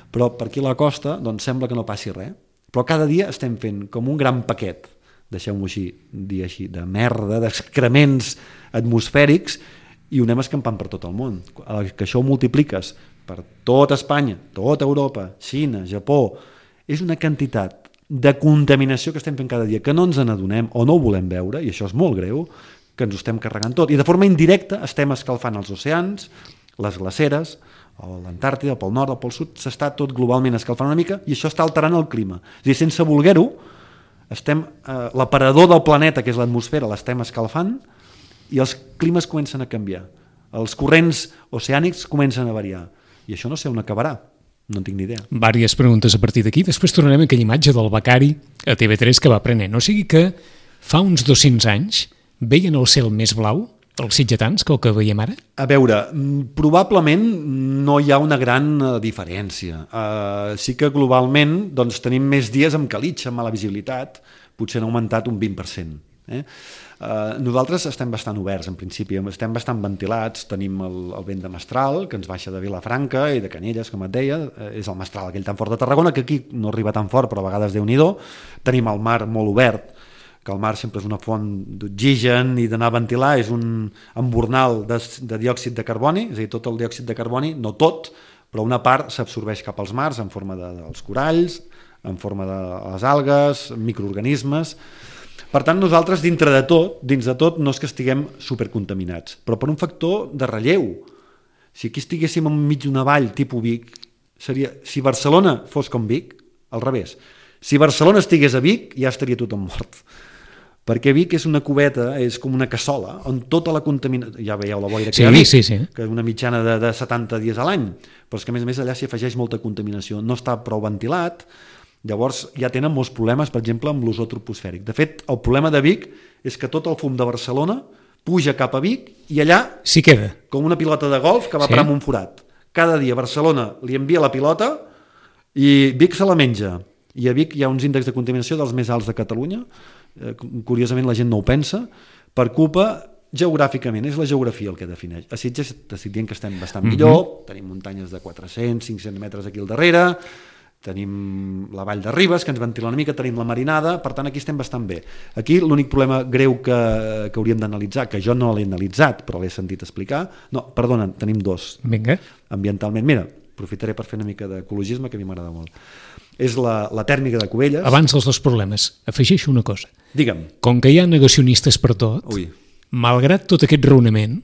però per aquí a la costa doncs sembla que no passi res. Però cada dia estem fent com un gran paquet, deixeu-m'ho així, dir així, de merda, d'excrements atmosfèrics, i ho anem escampant per tot el món. Que això ho multipliques per tota Espanya, tota Europa, Xina, Japó, és una quantitat de contaminació que estem fent cada dia, que no ens n'adonem o no ho volem veure, i això és molt greu, que ens ho estem carregant tot. I de forma indirecta estem escalfant els oceans, les glaceres, o l'Antàrtida, pel nord o pel sud, s'està tot globalment escalfant una mica i això està alterant el clima. És a dir, sense voler-ho, estem, eh, l'aparador del planeta, que és l'atmosfera, l'estem escalfant i els climes comencen a canviar. Els corrents oceànics comencen a variar. I això no sé on acabarà, no en tinc ni idea. Vàries preguntes a partir d'aquí. Després tornarem a aquella imatge del becari a T V tres que va prenent. O sigui que fa uns dos-cents anys veien el cel més blau els sitgetans que el que veiem ara? A veure, probablement no hi ha una gran diferència. Uh, sí que globalment doncs, tenim més dies amb calitxa, amb mala visibilitat, potser han augmentat un vint per cent. Eh? Uh, nosaltres estem bastant oberts, en principi, estem bastant ventilats, tenim el, el vent de mestral, que ens baixa de Vilafranca i de Canyelles, com et deia, uh, és el mestral aquell tan fort de Tarragona, que aquí no arriba tan fort, però a vegades Déu-n'hi-do. Tenim el mar molt obert, que el mar sempre és una font d'oxigen i d'anar a ventilar, és un embornal de, de diòxid de carboni, és a dir, tot el diòxid de carboni, no tot, però una part s'absorbeix cap als mars en forma de, dels coralls, en forma de les algues, microorganismes. Per tant, nosaltres, dintre de tot, dins de tot, no és que estiguem supercontaminats, però per un factor de relleu. Si aquí estiguéssim enmig d'una vall tipus Vic, seria, si Barcelona fos com Vic, al revés. Si Barcelona estigués a Vic, ja estaria tothom mort. Perquè Vic és una cubeta, és com una cassola, on tota la contaminació... Ja veieu la boira que sí, hi ha a Vic, sí, sí. que és una mitjana de, de setanta dies a l'any, però és que a més a més allà s'hi afegeix molta contaminació. No està prou ventilat. Llavors ja tenen molts problemes, per exemple, amb l'ozó troposfèric. De fet, el problema de Vic és que tot el fum de Barcelona puja cap a Vic i allà, sí queda, com una pilota de golf que va sí. parar en un forat. Cada dia Barcelona li envia la pilota i Vic se la menja. I a Vic hi ha uns índexs de contaminació dels més alts de Catalunya. Eh, curiosament la gent no ho pensa, per culpa geogràficament, és la geografia el que defineix. A Sitges t'estic dient que estem bastant millor, mm-hmm. tenim muntanyes de quatre-cents, cinc-cents metres aquí al darrere, tenim la vall de Ribes, que ens ventila una mica, tenim la Marinada, per tant aquí estem bastant bé. Aquí l'únic problema greu que, que hauríem d'analitzar, que jo no l'he analitzat, però l'he sentit explicar, no, perdona, tenim dos. Vinga. Ambientalment, mira, aprofitaré per fer una mica d'ecologisme, que a mi m'agrada molt. És la, la tèrmica de Cubelles. Abans dels dos problemes, afegeixo una cosa. Digue'm. Com que hi ha negacionistes per tot, Ui. malgrat tot aquest raonament,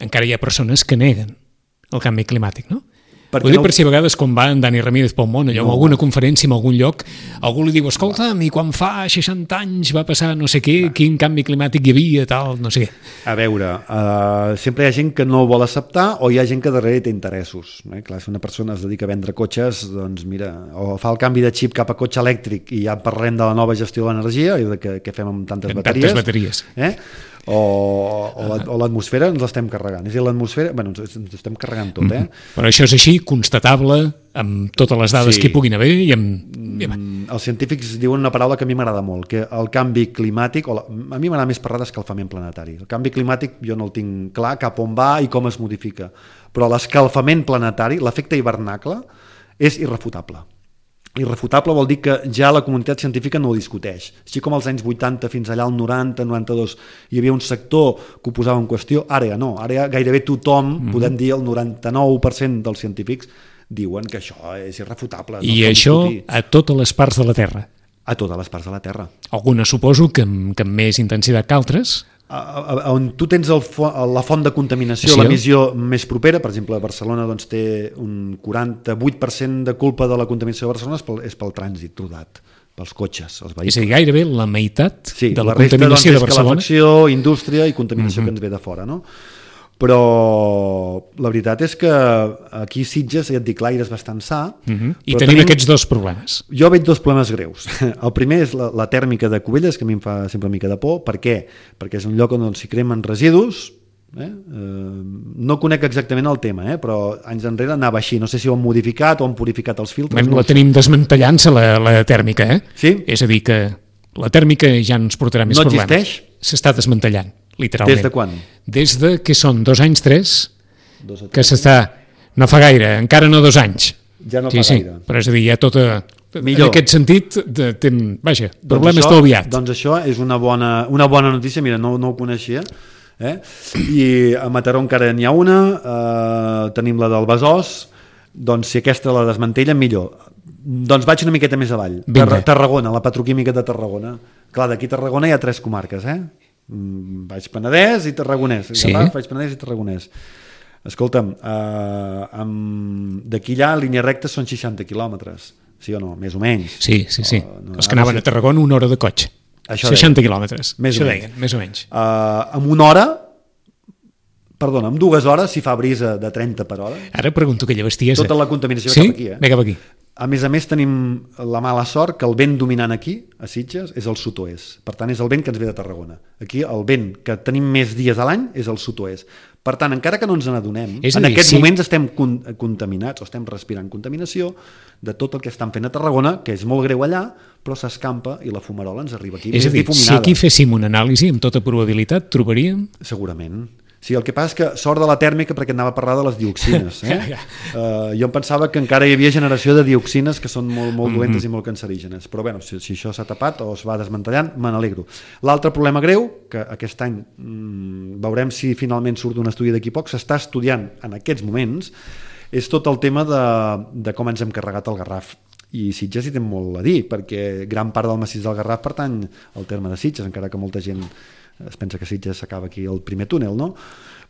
encara hi ha persones que neguen el canvi climàtic, no? Perquè Ho dic no... per si a vegades quan va en Dani Ramírez pel món, allò, no. en alguna conferència, en algun lloc, algú li diu, escolta, i quan fa seixanta anys va passar no sé què, va. quin canvi climàtic hi havia, tal, no sé què. A veure, uh, sempre hi ha gent que no vol acceptar o hi ha gent que darrere té interessos. Eh? Clar, si una persona es dedica a vendre cotxes, doncs mira, o fa el canvi de xip cap a cotxe elèctric i ja parlem de la nova gestió de l'energia i de què, què fem amb tantes amb bateries. Tantes bateries. Eh? o, o l'atmosfera ens l'estem carregant. És a dir, l'atmosfera, bueno, ens, ens estem carregant tot, eh? Mm-hmm. Però això és així, constatable, amb totes les dades sí. que hi puguin haver i amb... Mm, els científics diuen una paraula que a mi m'agrada molt, que el canvi climàtic, o la, a mi m'agrada més parlar d'escalfament planetari. El canvi climàtic jo no el tinc clar cap on va i com es modifica, però l'escalfament planetari, l'efecte hivernacle, és irrefutable. Irrefutable vol dir que ja la comunitat científica no ho discuteix. Així com als anys vuitanta fins allà al noranta, noranta-dos hi havia un sector que ho posava en qüestió, ara ja no, ara ja gairebé tothom, mm-hmm. podem dir el noranta-nou per cent dels científics diuen que això és irrefutable. I no això discutir. A totes les parts de la Terra? A totes les parts de la Terra. Algunes suposo que amb, que amb més intensitat que altres? A, a, a, on tu tens el fo, la font de contaminació, sí, l'emissió més propera, per exemple, Barcelona doncs, té un quaranta-vuit per cent de culpa de la contaminació de Barcelona és pel, és pel trànsit rodat, pels cotxes, els vehicles. És a dir, gairebé la meitat sí, de la, la resta, contaminació doncs, de Barcelona. Calefacció, indústria i contaminació mm-hmm. que ens ve de fora, no? Però la veritat és que aquí Sitges, ja et dic, l'aire és bastant sa. Uh-huh. I tenim, tenim aquests dos problemes. Jo veig dos problemes greus. El primer és la, la tèrmica de Cubelles, que a mi em fa sempre una mica de por. Per què? Perquè és un lloc on s'hi cremen residus. Eh? Eh, no conec exactament el tema, eh? Però anys enrere anava així. No sé si ho han modificat o han purificat els filtres. No la tenim desmantellant-se, la, la tèrmica. Eh? Sí? És a dir, que la tèrmica ja ens portarà més no problemes. No existeix? S'està desmantellant. Literalment. Des de quan? Des de que són dos anys, tres, dos o tres. Que s'està... No fa gaire, encara no dos anys. Ja no sí, fa sí. gaire. Però és a dir, hi ha tota... Millor. En aquest sentit, de, de, vaja, doncs problema això, està obviat. Doncs això és una bona, una bona notícia, mira, no, no ho coneixia. Eh? I a Mataró encara n'hi ha una, eh, tenim la del Besòs, doncs si aquesta la desmantellen, millor. Doncs vaig una miqueta més avall. Ter Tarragona, la petroquímica de Tarragona. Clar, d'aquí a Tarragona hi ha tres comarques, eh? Baix Penedès i Tarragonès. Sí. Baix Penedès i Tarragonès. Escolta'm, eh, d'aquí allà, en línia recta, són seixanta quilòmetres. Sí o no? Més o menys. Sí, sí, sí. O, no, Els que anaven a Tarragona una hora de cotxe. Això seixanta quilòmetres. Més Això o deien, més o menys. Uh, amb una hora, perdona, amb dues hores, si fa brisa de trenta per hora. Ara pregunto aquella bestiesa. Tota la contaminació sí? cap aquí, eh? Ve cap aquí. A més a més tenim la mala sort que el vent dominant aquí, a Sitges, és el sud-oest. Per tant, és el vent que ens ve de Tarragona. Aquí el vent que tenim més dies a l'any és el sud-oest. Per tant, encara que no ens n'adonem, en dir, aquests sí. moments estem con contaminats o estem respirant contaminació de tot el que estan fent a Tarragona, que és molt greu allà, però s'escampa i la fumarola ens arriba aquí. És a dir, si aquí féssim una anàlisi, amb tota probabilitat, trobaríem... Segurament. Sí, el que passa és que sort de la tèrmica perquè anava a parlar de les dioxines. Eh? uh, jo em pensava que encara hi havia generació de dioxines que són molt, molt dolentes mm-hmm. i molt cancerígenes. Però bueno, si, si això s'ha tapat o es va desmantellant, me n'alegro. L'altre problema greu, que aquest any mmm, veurem si finalment surt un estudi d'aquí poc, s'està estudiant en aquests moments, és tot el tema de, de com ens hem carregat el Garraf. I Sitges hi té molt a dir, perquè gran part del massís del Garraf pertany al terme de Sitges, encara que molta gent es pensa que Sitges s'acaba aquí el primer túnel, no?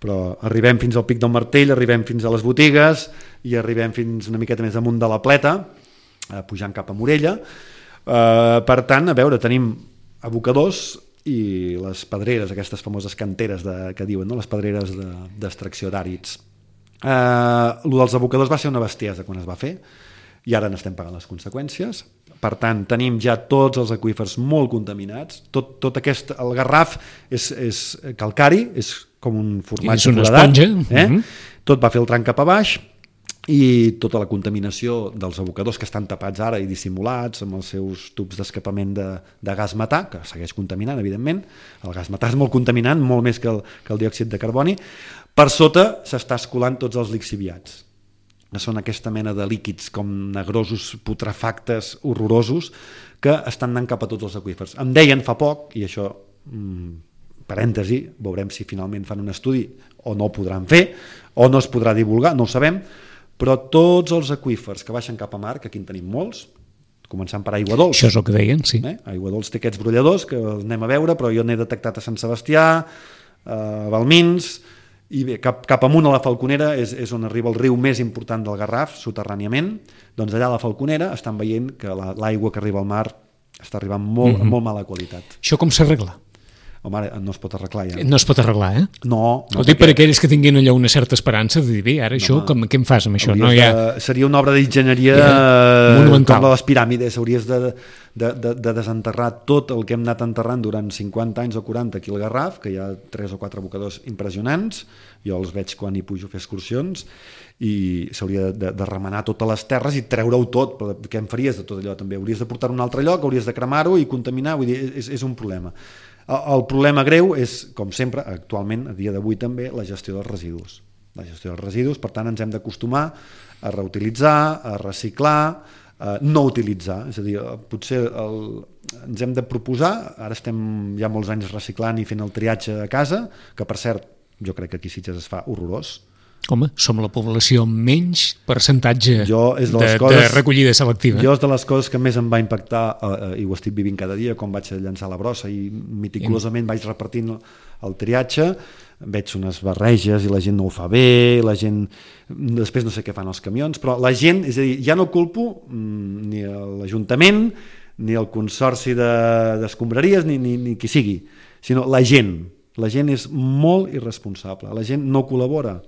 Però arribem fins al Pic del Martell, arribem fins a les botigues i arribem fins una miqueta més amunt de la Pleta, eh, pujant cap a Morella. Eh, per tant, a veure, tenim abocadors i les pedreres, aquestes famoses canteres de, que diuen, no? Les pedreres d'extracció de, d'àrids. Eh, lo dels abocadors va ser una bestiesa quan es va fer, i ara n'estem pagant les conseqüències. Per tant, tenim ja tots els aqüífers molt contaminats. Tot, tot aquest, el Garraf és, és calcari, és com un formatge és una foradat, esponja. Eh? Uh-huh. Tot va fer el tram cap a baix i tota la contaminació dels abocadors que estan tapats ara i dissimulats amb els seus tubs d'escapament de, de gas metà, que segueix contaminant, evidentment. El gas metà és molt contaminant, molt més que el, que el diòxid de carboni. Per sota s'està escolant tots els lixiviats, que són aquesta mena de líquids com negrosos, putrefactes, horrorosos, que estan anant cap a tots els aqüífers. Em deien fa poc, i això, mmm, parèntesi, veurem si finalment fan un estudi o no ho podran fer, o no es podrà divulgar, no ho sabem, però tots els aqüífers que baixen cap a mar, que aquí en tenim molts, començant per Aigua Dols. Això és el que deien, sí. Eh? Aigua Dols té aquests brolladors que els anem a veure, però jo n'he detectat a Sant Sebastià, a Balmins, i bé, cap, cap amunt a la Falconera és, és on arriba el riu més important del Garraf, soterràniament. Doncs allà a la Falconera estan veient que la, l'aigua que arriba al mar està arribant molt, mm-hmm. molt mala qualitat. Això com s'arregla? Home, ara no es pot arreglar ja. No es pot arreglar, eh? No. no Ho dic perquè... per aquells que tinguin allò una certa esperança de dir, bé, ara no, això, com, què em fas amb això? No, de, ja... Seria una obra d'enginyeria yeah. monumental. Com les piràmides, hauries de, de, de, de desenterrar tot el que hem anat enterrant durant cinquanta anys o quaranta aquí al Garraf, que hi ha tres o quatre abocadors impressionants, jo els veig quan hi pujo a fer excursions, i s'hauria de, de remenar totes les terres i treure-ho tot, però què en faries de tot allò també? Hauries de portar-ho a un altre lloc, hauries de cremar-ho i contaminar, vull dir, és, és un problema. El problema greu és, com sempre, actualment, a dia d'avui també, la gestió dels residus. La gestió dels residus, per tant, ens hem d'acostumar a reutilitzar, a reciclar, a no utilitzar. És a dir, potser el, ens hem de proposar, ara estem ja molts anys reciclant i fent el triatge a casa, que per cert, jo crec que aquí a Sitges es fa horrorós. Home, som la població amb menys percentatge jo, és de, de, coses, de recollida selectiva. Jo és de les coses que més em va impactar, eh, i ho estic vivint cada dia, quan vaig llançar la brossa i meticulosament vaig repartint el triatge, veig unes barreges i la gent no ho fa bé, la gent... Després no sé què fan els camions, però la gent, és a dir, ja no culpo mm, ni l'Ajuntament, ni el Consorci de, d'Escombraries, ni, ni, ni qui sigui, sinó la gent. La gent és molt irresponsable, la gent no col·labora.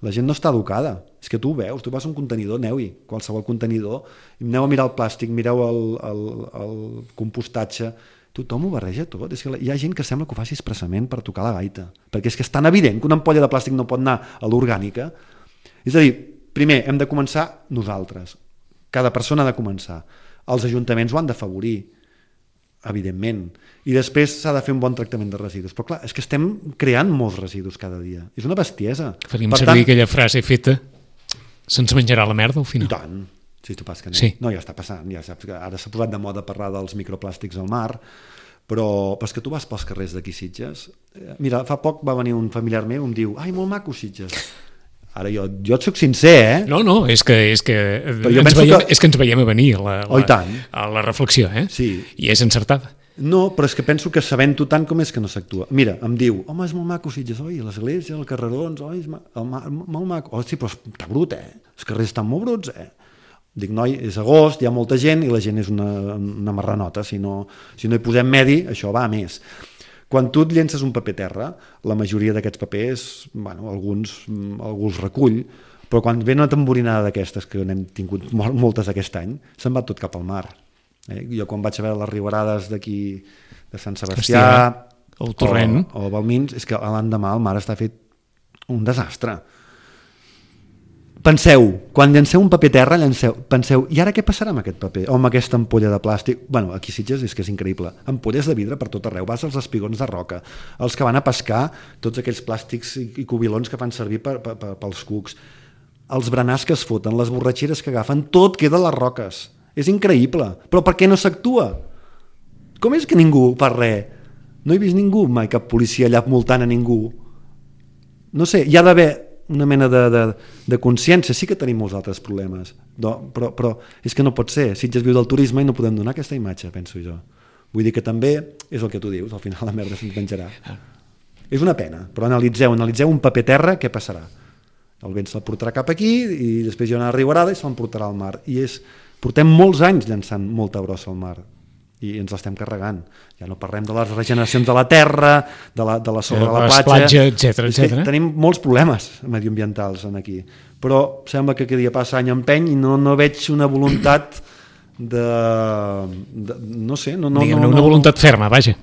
La gent no està educada, és que tu ho veus, tu vas a un contenidor, aneu-hi, qualsevol contenidor, i aneu a mirar el plàstic, mireu el, el, el compostatge, tothom ho barreja tot, és que hi ha gent que sembla que ho faci expressament per tocar la gaita, perquè és que és tan evident que una ampolla de plàstic no pot anar a l'orgànica. És a dir, primer hem de començar nosaltres, cada persona ha de començar, els ajuntaments ho han d'afavorir, evidentment, i després s'ha de fer un bon tractament de residus, però clar, és que estem creant molts residus cada dia, és una bestiesa. Faríem per servir tant, aquella frase feta, se'ns menjarà la merda al final. I tant, si tu pas que no. Sí. No, ja està passant, ja saps que ara s'ha posat de moda parlar dels microplàstics al mar, però, però és que tu vas pels carrers d'aquí Sitges, mira, fa poc va venir un familiar meu i em diu, ai, molt maco Sitges. Ara jo, jo et soc sincer, eh? No, no, és que, és que, ens veiem, que... és que ens veiem a venir a la, la, oh, a la reflexió, eh? Sí. I és encertada. No, però és que penso que sabent-ho tant com és que no s'actua. Mira, em diu, home, és molt maco Sitges, oi, l'església, el carrerons, oi, és ma... el ma... molt maco. Oh, sí, però està brut, eh? Els carrers estan molt bruts, eh? Dic, noi, és agost, hi ha molta gent i la gent és una, una marranota. Si no, si no hi posem medi, això va a més. Quan tu et llences un paper terra, la majoria d'aquests papers, bueno, alguns algú els recull, però quan ve una tamborinada d'aquestes, que n'hem tingut moltes aquest any, se'n va tot cap al mar. Eh? Jo quan vaig a veure les riuarades d'aquí de Sant Sebastià el torrent o, o Balmins, és que l'endemà el mar està fet un desastre. Penseu, quan llanceu un paper terra, llanceu, penseu, i ara què passarà amb aquest paper? O amb aquesta ampolla de plàstic? Bueno, aquí Sitges és que és increïble. Ampolles de vidre per tot arreu. Vas als espigons de roca, els que van a pescar, tots aquells plàstics i cubilons que fan servir per, per, per, pels cucs, els berenars que es foten, les borratxeres que agafen, tot queda a les roques. És increïble. Però per què no s'actua? Com és que ningú fa res? No he vist ningú mai, cap policia allà multant a ningú. No sé, hi ha d'haver... una mena de, de, de consciència. Sí que tenim molts altres problemes, no, però, però és que no pot ser. Sitges viu del turisme i no podem donar aquesta imatge, penso jo. Vull dir que també és el que tu dius, al final la merda se'ns menjarà. Ah. És una pena, però analitzeu, analitzeu un paper terra, què passarà? El vent se'l portarà cap aquí i després hi ha una riuarada i se'l portarà al mar. I és, portem molts anys llançant molta brossa al mar i ens l'estem carregant. Ja no parlem de les regeneracions de la terra, de la, de la sobre de la platja, platja etcètera, etcètera. Tenim molts problemes mediambientals en aquí, però sembla que cada dia passa any empeny i no, no veig una voluntat de, de no sé, no, no, Diguem, no, una no, voluntat ferma, vaja.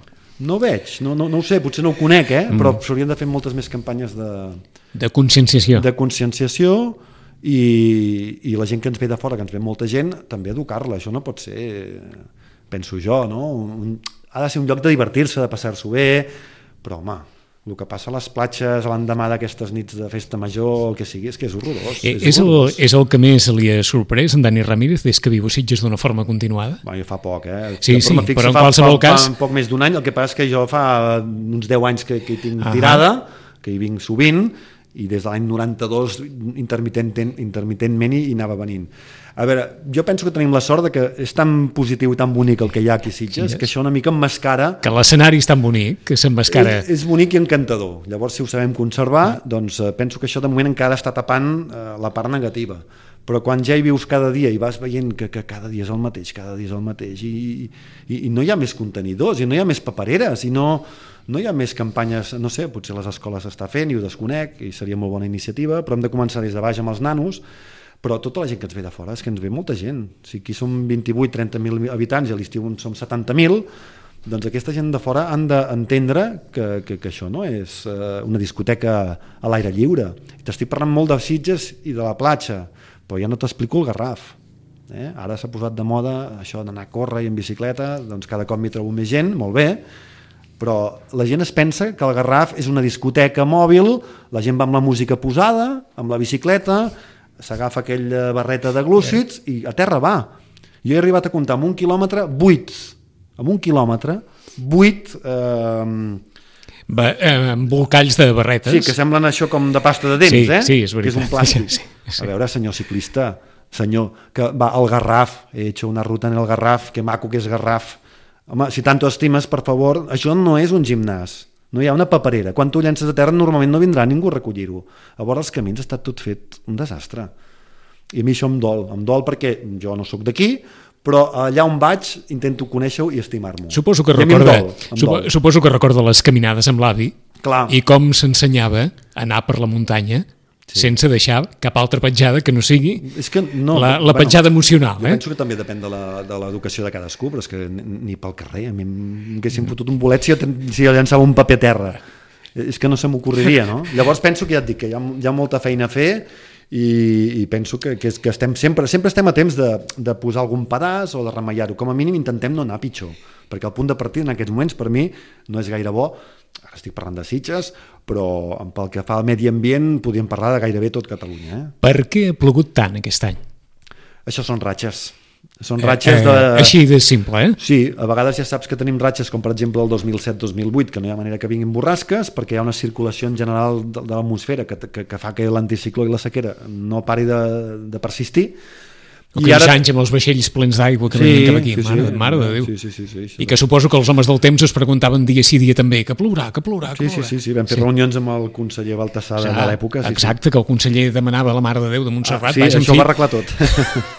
No veig, no, no, no ho sé, potser no ho conec, eh? Mm. Però s'haurien de fer moltes més campanyes de, de conscienciació. De conscienciació i, i la gent que ens ve de fora, que ens ve molta gent, també educar-la. Això no pot ser, penso jo, no? Un, ha de ser un lloc de divertir-se, de passar-s'ho bé, però home, el que passa a les platges a l'endemà d'aquestes nits de festa major, el que sigui, és que és horrorós. Eh, és, és, horrorós. El, és el que més li ha sorprès en Dani Ramírez des que viu a Sitges d'una forma continuada? Bueno, jo fa poc, eh? Sí, sí, fixo, però en fa, qualsevol fa, cas... Fa poc més d'un any, el que passa és que jo fa uns deu anys que, que hi tinc uh-huh. tirada, que hi vinc sovint, i des de l'any noranta-dos intermitent, intermitentment hi anava venint. A veure, jo penso que tenim la sort de que és tan positiu i tan bonic el que hi ha aquí a Sitges, sí, que això una mica emmascara... Que l'escenari és tan bonic, que s'emmascara... És, és bonic i encantador. Llavors, si ho sabem conservar, doncs eh, penso que això de moment encara està tapant eh, la part negativa. Però quan ja hi vius cada dia i vas veient que, que cada dia és el mateix, cada dia és el mateix, i, i, i no hi ha més contenidors, i no hi ha més papereres, i no, no hi ha més campanyes, no sé, potser les escoles s'està fent i ho desconec, i seria molt bona iniciativa, però hem de començar des de baix amb els nanos, però tota la gent que ens ve de fora, és que ens ve molta gent. Si aquí som vint-i-vuit a trenta mil habitants i a l'estiu som setanta mil, doncs aquesta gent de fora han d'entendre que, que, que això no és eh, una discoteca a l'aire lliure. T'estic parlant molt de Sitges i de la platja, però ja no t'explico el Garraf. Eh? Ara s'ha posat de moda això d'anar a córrer i en bicicleta, doncs cada cop m'hi trobo més gent, molt bé, però la gent es pensa que el Garraf és una discoteca mòbil, la gent va amb la música posada, amb la bicicleta, s'agafa aquella barreta de glúcids i a terra va. Jo he arribat a comptar amb un quilòmetre vuit, amb un quilòmetre vuit eh, Va, eh, embolcalls de barretes. sí, que semblen això com de pasta de dents, sí, eh? Sí, és veritat. Que és un plàstic. Sí, sí. A veure, senyor ciclista, senyor, que va al Garraf, he hecho una ruta en el Garraf, que maco que és Garraf. Home, si tanto estimes, per favor, això no és un gimnàs. No hi ha una paperera. Quan tu llences a terra normalment no vindrà ningú a recollir-ho. A vora els camins està tot fet un desastre. I a mi això em dol. Em dol perquè jo no sóc d'aquí, però allà on vaig intento conèixer-ho i estimar-m'ho. Suposo que I recorda, dol, supo, suposo que recorda les caminades amb l'avi. Clar. I com s'ensenyava a anar per la muntanya sí. sense deixar cap altra petjada que no sigui és que no, la, la petjada bueno, emocional. Jo eh? penso que també depèn de l'educació de, de cadascú, però és que ni pel carrer, a mi m'haguessin fotut un bolet si jo, si jo llançava un paper a terra. És que no se m'ocorreria, no? Llavors penso que ja et dic que hi ha, hi ha molta feina a fer i, i penso que, que, que estem sempre, sempre estem a temps de, de posar algun pedaç o de remeillar-ho. Com a mínim intentem no anar pitjor, perquè el punt de partida en aquests moments per mi no és gaire bo. Ara estic parlant de Sitges, però pel que fa al medi ambient podríem parlar de gairebé tot Catalunya. Eh? Per què ha plogut tant aquest any? Això són ratxes. Són ratxes de... Eh, eh, així de simple, eh? Sí, a vegades ja saps que tenim ratxes com per exemple el dos mil set dos mil vuit, que no hi ha manera que vinguin borrasques perquè hi ha una circulació en general de, de l'atmosfera que, que, que fa que l'anticicló i la sequera no pari de, de persistir. I ara... anys amb els vaixells plens d'aigua que sí, venien cap aquí, sí, mare, sí, mare de Déu. Sí, sí, sí, sí, sí. I que suposo que els homes del temps es preguntaven dia sí dia també, que plourà, que plourà, que sí, plourà. Sí, sí, sí, vam fer sí. reunions amb el conseller Baltasar de l'època. Sí, exacte, sí. Que el conseller demanava a la Mare de Déu de Montserrat. Ah, sí, vaja, això fi... ho va arreglar tot.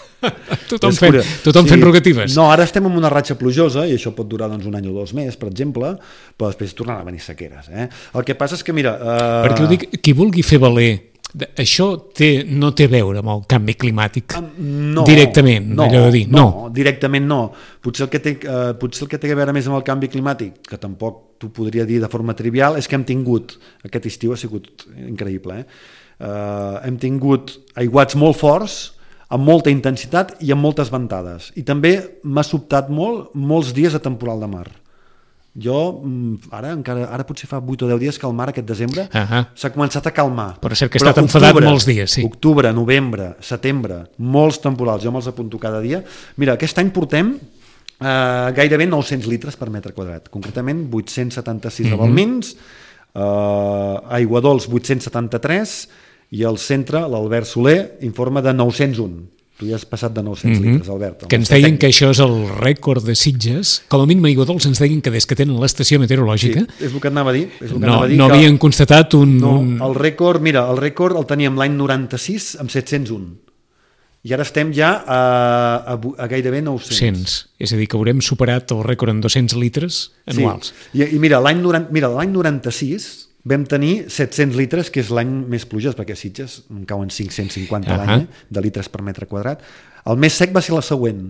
tothom fent, tothom sí. fent rogatives. No, ara estem en una ratxa plujosa i això pot durar doncs, un any o dos més, per exemple, però després tornaran a venir sequeres. Eh? El que passa és que, mira... Uh... Perquè ho dic, qui vulgui fer valer això té, no té a veure amb el canvi climàtic no, directament, no, allò de dir, no. no, directament no. Potser el, que té, uh, potser el que té a veure més amb el canvi climàtic, que tampoc t'ho podria dir de forma trivial, és que hem tingut, aquest estiu ha sigut increïble, eh? Uh, hem tingut aiguats molt forts, amb molta intensitat i amb moltes ventades. I també m'ha sobtat molt molts dies de temporal de mar. Jo, ara encara ara potser fa vuit o deu dies que el mar aquest desembre uh-huh. s'ha començat a calmar. Però cert que ha estat enfadat molts dies, sí. Octubre, novembre, setembre, molts temporals, jo me'ls apunto cada dia. Mira, aquest any portem eh, gairebé nou-cents litres per metre quadrat, concretament vuit-cents setanta-sis uh-huh. de Balmins, eh, aigua dolç vuit-cents setanta-tres i al centre l'Albert Soler informa de nou-cents un. Tu ja has passat de nou-cents mm-hmm. litres, Albert. Que ens deien que això és el rècord de Sitges. Com a mínim a Aigua Dols ens deien que des que tenen l'estació meteorològica... Sí, és el que et anava a dir. És el que no, anava a dir no que... havien constatat un... No, un... el rècord, mira, el rècord el teníem l'any noranta-sis amb set-cents un. I ara estem ja a, a, a gairebé nou-cents. cent. És a dir, que haurem superat el rècord en dos-cents litres anuals. Sí. I, i mira, l'any noranta-sis vam tenir set-cents litres, que és l'any més plujós, perquè a Sitges en cauen cinc-cents cinquanta uh-huh. l'any, eh, de litres per metre quadrat. El més sec va ser la següent.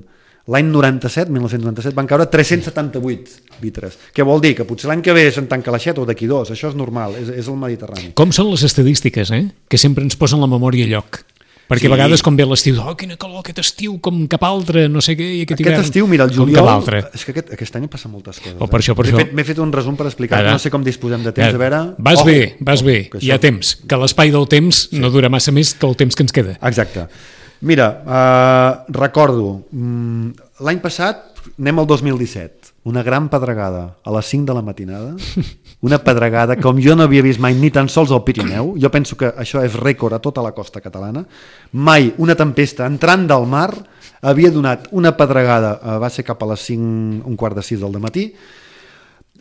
L'any noranta-set, mil nou-cents noranta-set, van caure tres-cents setanta-vuit litres. Què vol dir? Que potser l'any que ve se'n tanca l'aixeta o d'aquí dos. Això és normal, és, és el Mediterrani. Com són les estadístiques, eh? Que sempre ens posen la memòria a lloc. Perquè sí. A vegades com ve l'estiu, oh, quina calor aquest estiu, com cap altre, no sé què, i aquest, aquest hivern, estiu, mira, el juliol, com cap altre. És que aquest, aquest any passen moltes coses. Oh, per això, per m'he, això. fet, m'he fet un resum per explicar, no sé com disposem de temps, ja. a veure... Vas oh, bé, vas oh, bé, això... hi ha temps, que l'espai del temps sí. no dura massa més que el temps que ens queda. Exacte. Mira, uh, recordo, um, l'any passat, anem al dos mil disset, una gran pedregada a les cinc de la matinada, una pedregada com jo no havia vist mai ni tan sols al Pirineu. Jo penso que això és rècord a tota la costa catalana. Mai una tempesta entrant del mar havia donat una pedregada, va ser cap a les cinc, un quart de sis del matí,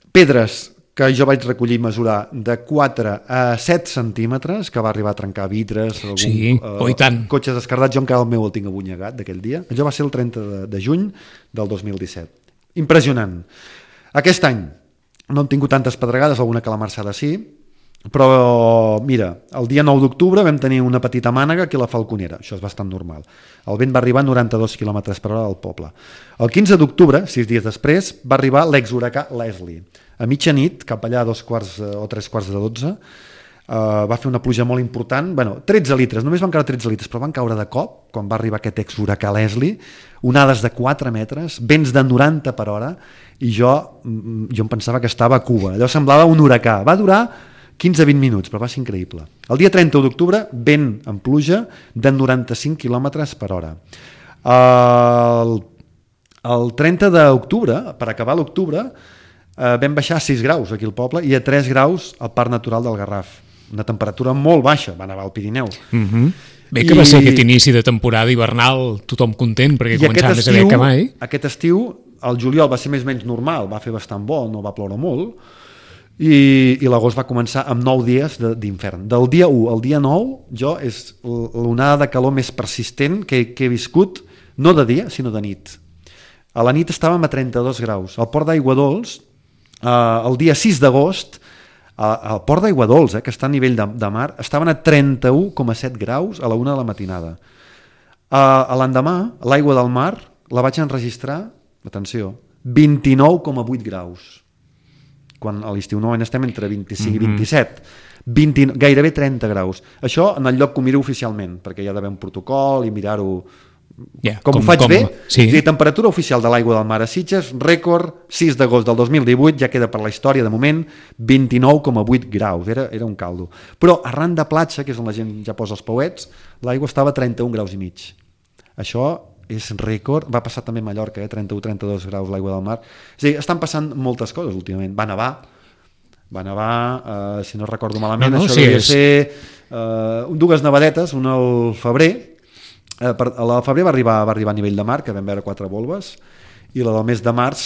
pedres que jo vaig recollir i mesurar de quatre a set centímetres, que va arribar a trencar vidres, algun, sí, uh, oh, i tant. Cotxes escardats, jo encara el meu el tinc abunyegat d'aquell dia. Això va ser el trenta de juny del dos mil disset. Impressionant. Aquest any no hem tingut tantes pedregades, alguna calamarçada sí, però mira, el dia nou d'octubre vam tenir una petita mànega aquí a la Falconera, això és bastant normal. El vent va arribar a noranta-dos quilòmetres per hora al poble. El quinze d'octubre, sis dies després, va arribar l'exhuracà Leslie. A mitjanit, cap allà a dos quarts o tres quarts de dotze, Uh, va fer una pluja molt important, bueno, tretze litres, només van caure tretze litres, però van caure de cop, quan va arribar aquest ex-huracà Leslie, onades de quatre metres, vents de noranta per hora, i jo, jo em pensava que estava a Cuba, allò semblava un huracà, va durar quinze a vint minuts, però va ser increïble. El dia trenta d'octubre, vent amb pluja de noranta-cinc quilòmetres per hora. El, el trenta d'octubre, per acabar l'octubre, eh, vam baixar a sis graus aquí al poble i a tres graus al Parc Natural del Garraf. Una temperatura molt baixa, va nevar al Pirineu. Mm-hmm. Bé que I... va ser aquest inici de temporada hivernal, tothom content, perquè començava més aviat que mai. Aquest estiu, el juliol va ser més o menys normal, va fer bastant bo, no va ploure molt, i, i l'agost va començar amb nou dies d'infern. Del dia u al dia nou, jo és l'onada de calor més persistent que, que he viscut, no de dia, sinó de nit. A la nit estàvem a trenta-dos graus. Al Port d'Aigua Dols, eh, el dia sis d'agost, al Port d'Aigua Dols, eh, que està a nivell de, de mar, estaven a trenta-u coma set graus a la una de la matinada. A, a l'endemà, l'aigua del mar la vaig enregistrar, atenció, vint-i-nou coma vuit graus. Quan a l'estiu no estem entre vint-i-cinc i vint-i-set. vint, gairebé trenta graus. Això en el lloc que ho miro oficialment, perquè hi ha d'haver un protocol i mirar-ho... Yeah, com, com ho faig com, bé, sí. La temperatura oficial de l'aigua del mar a Sitges, rècord sis d'agost del dos mil divuit, ja queda per la història de moment, vint-i-nou coma vuit graus, era, era un caldo. Però arran de platja, que és on la gent ja posa els pauets, l'aigua estava a trenta-un graus i mig. Això és rècord, va passar també a Mallorca, eh? trenta-u a trenta-dos graus l'aigua del mar. És a dir, estan passant moltes coses últimament. Va nevar, va nevar, eh, si no recordo malament, no, no, això sí, devia és... ser eh, dues nevadetes, una al febrer. Eh, per, a la febrer va arribar, va arribar a nivell de mar, que vam veure quatre volves, i la del mes de març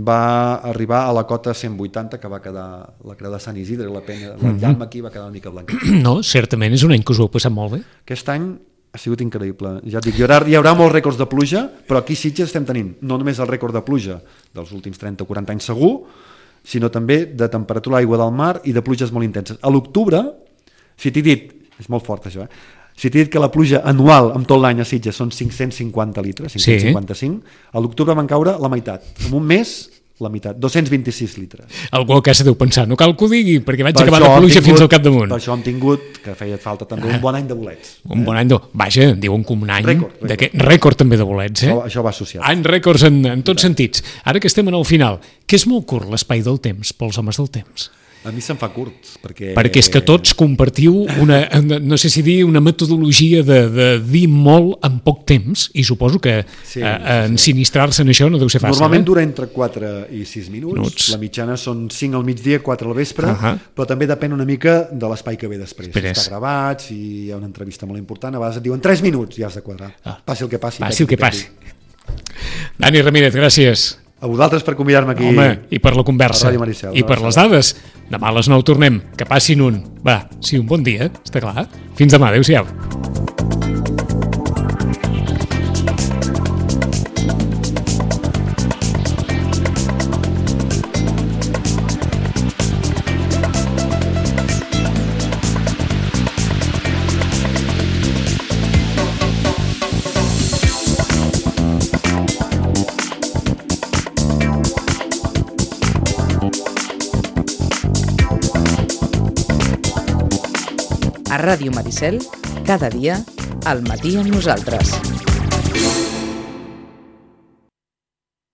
va arribar a la cota cent vuitanta, que va quedar la creu de Sant Isidre, la penya, la llama aquí va quedar una mica blanca. No, certament és un any que us ho heu passat molt bé. Aquest any ha sigut increïble. Ja et dic, hi haurà, hi haurà molts rècords de pluja, però aquí a Sitges estem tenint no només el rècord de pluja dels últims trenta o quaranta anys segur, sinó també de temperatura a l'aigua del mar i de pluges molt intenses. A l'octubre, si t'he dit, és molt fort això, eh? Si t'he dit que la pluja anual amb tot l'any a Sitges són cinc-cents cinquanta litres, cinc-cents cinquanta-cinc, sí. A l'octubre van caure la meitat. En un mes, la meitat, dos-cents vint-i-sis litres. Algú a casa deu pensar, no cal que ho digui, perquè vaig per acabar la pluja tingut, fins al capdamunt. Per això hem tingut, que feia falta també, ah, un bon any de bolets. Un eh? bon any de... Vaja, diuen que un any... Rècord. Rècord, rècord també de bolets, eh? Això, això va associat. Any rècords en, en tots sentits. Ara que estem en el final, que és molt curt l'espai del temps pels homes del temps. A mi se'm fa curt, perquè... Perquè és que tots compartiu una, no sé si dir, una metodologia de, de dir molt en poc temps, i suposo que sí, eh, ensinistrar-se en això no deu ser fàcil. Normalment eh? dura entre quatre i sis minuts, minuts. La mitjana són cinc al migdia, quatre al vespre, uh -huh. però també depèn una mica de l'espai que ve després. després. Si està gravat, si hi ha una entrevista molt important, a vegades et diuen tres minuts i has de quadrar. Ah. Passi el que passi. Passi el que passi. Dani Ramírez, gràcies. A vosaltres per convidar-me aquí. Home, i per la conversa. Maricel, I per les dades. Demà a les nou tornem. Que passin un. Va, sí, un bon dia, està clar. Fins demà, adéu-siau. A Ràdio Maricel, cada dia, al matí amb nosaltres.